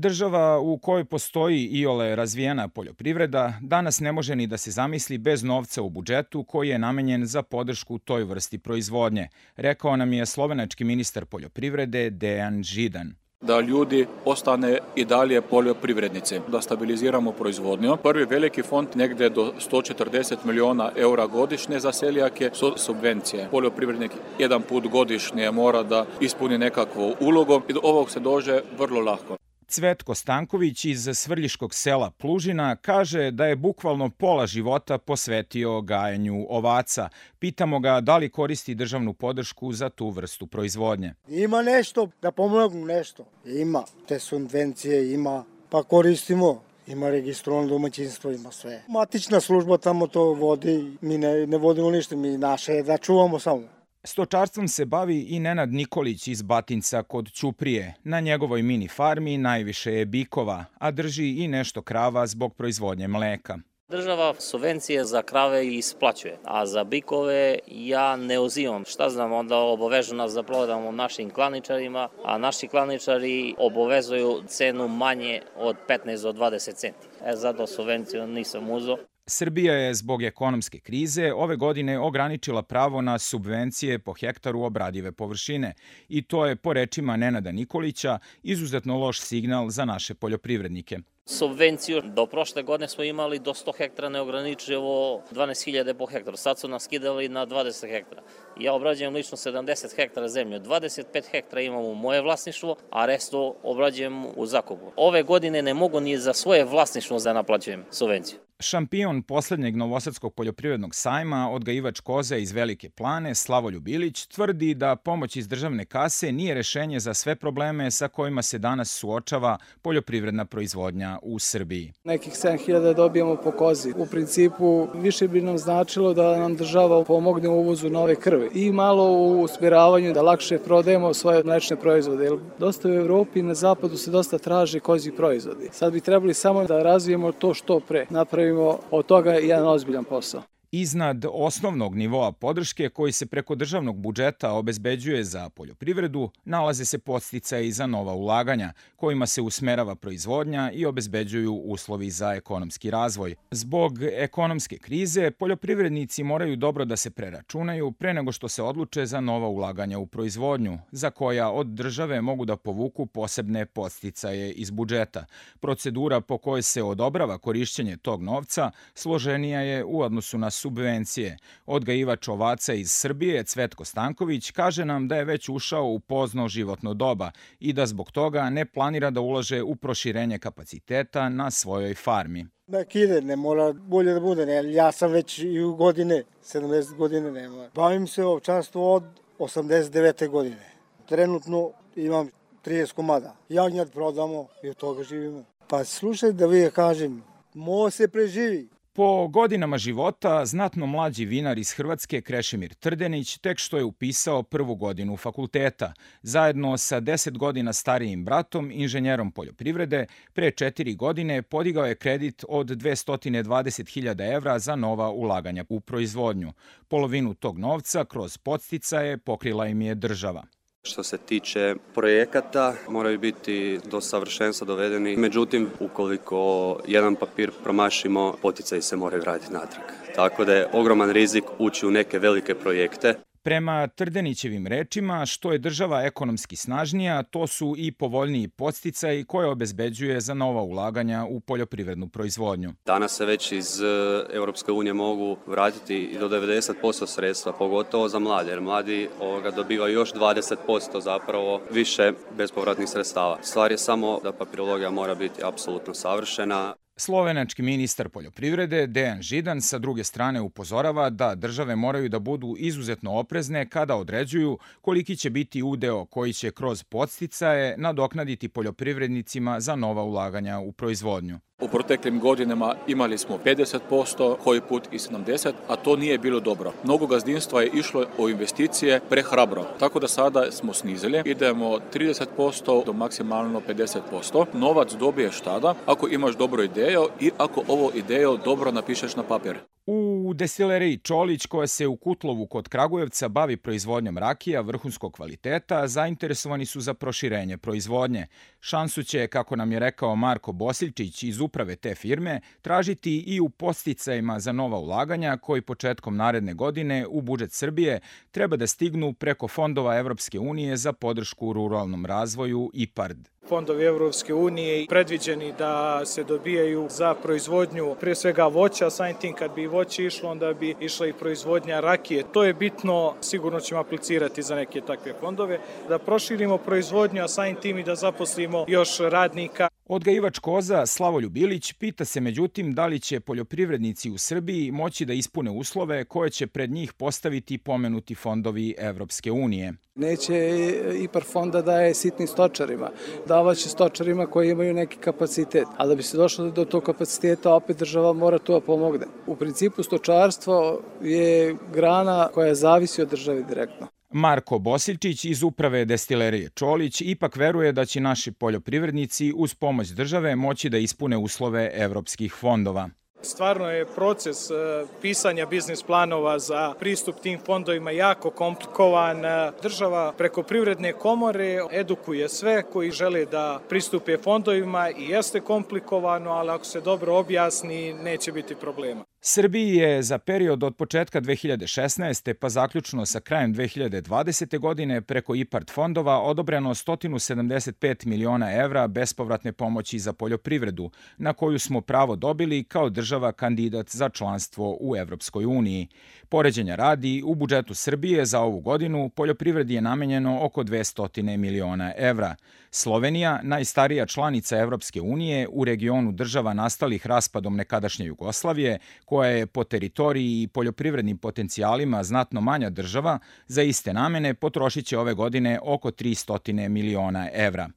Država u kojoj postoji iole razvijena poljoprivreda danas ne može ni da se zamisli bez novca u budžetu koji je namenjen za podršku toj vrsti proizvodnje, rekao nam je slovenački ministar poljoprivrede Dejan Židan. Da ljudi ostane i dalje poljoprivrednici, da stabiliziramo proizvodnju. Prvi veliki fond negde do 140 miliona eura godišnje za seljake su subvencije. Poljoprivrednik jedan put godišnje mora da ispuni nekakvu ulogu i do ovog se dođe vrlo lako. Cvetko Stanković iz svrljiškog sela Plužina kaže da je bukvalno pola života posvetio gajanju ovaca. Pitamo ga da li koristi državnu podršku za tu vrstu proizvodnje. Ima nešto, da pomognu nešto. Ima, te subvencije ima, pa koristimo. Ima registrovano domaćinstvo, ima sve. Matična služba tamo to vodi, mi ne vodimo ništa, mi naše je da čuvamo samo. Stočarstvom se bavi i Nenad Nikolić iz Batinca kod Ćuprije. Na njegovoj mini farmi najviše je bikova, a drži i nešto krava zbog proizvodnje mleka. Država subvencije za krave isplaćuje, a za bikove ja ne uzimam. Šta znam, onda obavežu nas da prodamo našim klaničarima, a naši klaničari obavezuju cenu manje od 15 do 20 centi. Zato subvenciju nisam uzeo. Srbija je zbog ekonomske krize ove godine ograničila pravo na subvencije po hektaru obradive površine i to je, po rečima Nenada Nikolića, izuzetno loš signal za naše poljoprivrednike. Subvenciju do prošle godine smo imali do 100 hektara neograničivo 12.000 po hektaru. Sad su nas skidali na 20 hektara. Ja obrađujem lično 70 hektara zemlje. 25 hektara imam u moje vlasništvo, a resto obrađujem u zakupu. Ove godine ne mogu ni za svoje vlasništvo da naplaćujem subvenciju. Šampion poslednjeg Novosadskog poljoprivrednog sajma, odgajivač koza iz Velike Plane, Slavoljub Ilić, tvrdi da pomoć iz državne kase nije rešenje za sve probleme sa kojima se danas suočava poljoprivredna proizvodnja u Srbiji. Nekih 7.000 dobijamo po kozi. U principu više bi nam značilo da nam država pomogne u uvozu nove krve i malo u usmjeravanju da lakše prodajemo svoje mlečne proizvode. Jer dosta u Evropi i na zapadu se dosta traže kozji proizvodi. Sad bi trebali samo da razvijemo to što pre. Napravimo od toga jedan ozbiljan posao. Iznad osnovnog nivoa podrške koji se preko državnog budžeta obezbeđuje za poljoprivredu, nalaze se podsticaji za nova ulaganja, kojima se usmerava proizvodnja i obezbeđuju uslovi za ekonomski razvoj. Zbog ekonomske krize, poljoprivrednici moraju dobro da se preračunaju pre nego što se odluče za nova ulaganja u proizvodnju, za koja od države mogu da povuku posebne podsticaje iz budžeta. Procedura po kojoj se odobrava korišćenje tog novca složenija je u odnosu na subvencije. Odgajivač ovaca iz Srbije, Cvetko Stanković, kaže nam da je već ušao u pozno životno doba i da zbog toga ne planira da ulaže u proširenje kapaciteta na svojoj farmi. Nek ide, ne mora bolje da bude. Ne, ja sam već i u godine, 70 godine nema. Bavim se ovčarstvom od 89. godine. Trenutno imam 30 komada. Jagnjad prodamo i od toga živimo. Pa slušaj da vi kažem, može se preživi. Po godinama života, znatno mlađi vinar iz Hrvatske Krešimir Trdenić tek što je upisao prvu godinu fakulteta. Zajedno sa 10 godina starijim bratom, inženjerom poljoprivrede, pre 4 godine podigao je kredit od 220.000 evra za nova ulaganja u proizvodnju. Polovinu tog novca kroz podsticaje pokrila im je država. Što se tiče projekata, moraju biti do savršenstva dovedeni. Međutim, ukoliko jedan papir promašimo, poticaji se moraju vratiti natrag. Tako da je ogroman rizik ući u neke velike projekte. Prema Trdenićevim rečima, što je država ekonomski snažnija, to su i povoljniji podsticaji koje obezbeđuje za nova ulaganja u poljoprivrednu proizvodnju. Danas se već iz Europske unije mogu vratiti i do 90% sredstva, pogotovo za mlade, jer mladi dobivaju još 20% zapravo više bespovratnih sredstava. Stvar je samo da papirologija mora biti apsolutno savršena. Slovenački ministar poljoprivrede Dejan Židan sa druge strane upozorava da države moraju da budu izuzetno oprezne kada određuju koliki će biti udeo koji će kroz podsticaje nadoknaditi poljoprivrednicima za nova ulaganja u proizvodnju. U proteklim godinama imali smo 50%, koji put i 70%, a to nije bilo dobro. Mnogo gazdinstva je išlo u investicije prehrabro, tako da sada smo snizili. Idemo 30% do maksimalno 50%. Novac dobiješ tada ako imaš dobru ideju i ako ovo ideju dobro napišeš na papir. U U destileriji Čolić, koja se u Kutlovu kod Kragujevca bavi proizvodnjom rakija vrhunskog kvaliteta, zainteresovani su za proširenje proizvodnje. Šansu će, kako nam je rekao Marko Bosiljčić iz uprave te firme, tražiti i u podsticajima za nova ulaganja koji početkom naredne godine u budžet Srbije treba da stignu preko fondova Evropske unije za podršku ruralnom razvoju IPARD. Fondovi Evropske unije predviđeni da se dobijaju za proizvodnju prije svega voća, samim tim kad bi voće išlo, onda bi išla i proizvodnja rakije. To je bitno, sigurno ćemo aplicirati za neke takve fondove, da proširimo proizvodnju, a samim tim i da zaposlimo još radnika. Odgajivač koza Slavoljub Ilić pita se međutim da li će poljoprivrednici u Srbiji moći da ispune uslove koje će pred njih postaviti pomenuti fondovi Evropske unije. Neće IPARD fonda daje sitnim stočarima, davaće stočarima koji imaju neki kapacitet, ali da bi se došlo do tog kapaciteta, opet država mora to da pomogne. U principu stočarstvo je grana koja zavisi od države direktno. Marko Bosiljčić iz uprave destilerije Čolić ipak veruje da će naši poljoprivrednici uz pomoć države moći da ispune uslove evropskih fondova. Stvarno je proces pisanja biznis planova za pristup tim fondovima jako komplikovan. Država preko privredne komore edukuje sve koji žele da pristupe fondovima i jeste komplikovano, ali ako se dobro objasni, neće biti problema. Srbiji je za period od početka 2016. pa zaključno sa krajem 2020. godine preko IPARD fondova odobreno 175 miliona evra bespovratne pomoći za poljoprivredu, na koju smo pravo dobili kao država kandidat za članstvo u Evropskoj uniji. Poređenja radi, u budžetu Srbije za ovu godinu poljoprivredi je namenjeno oko 200 miliona evra. Slovenija, najstarija članica Evropske unije u regionu država nastalih raspadom nekadašnje Jugoslavije, koja je po teritoriji i poljoprivrednim potencijalima znatno manja država, za iste namene potrošit će ove godine oko 300 miliona evra.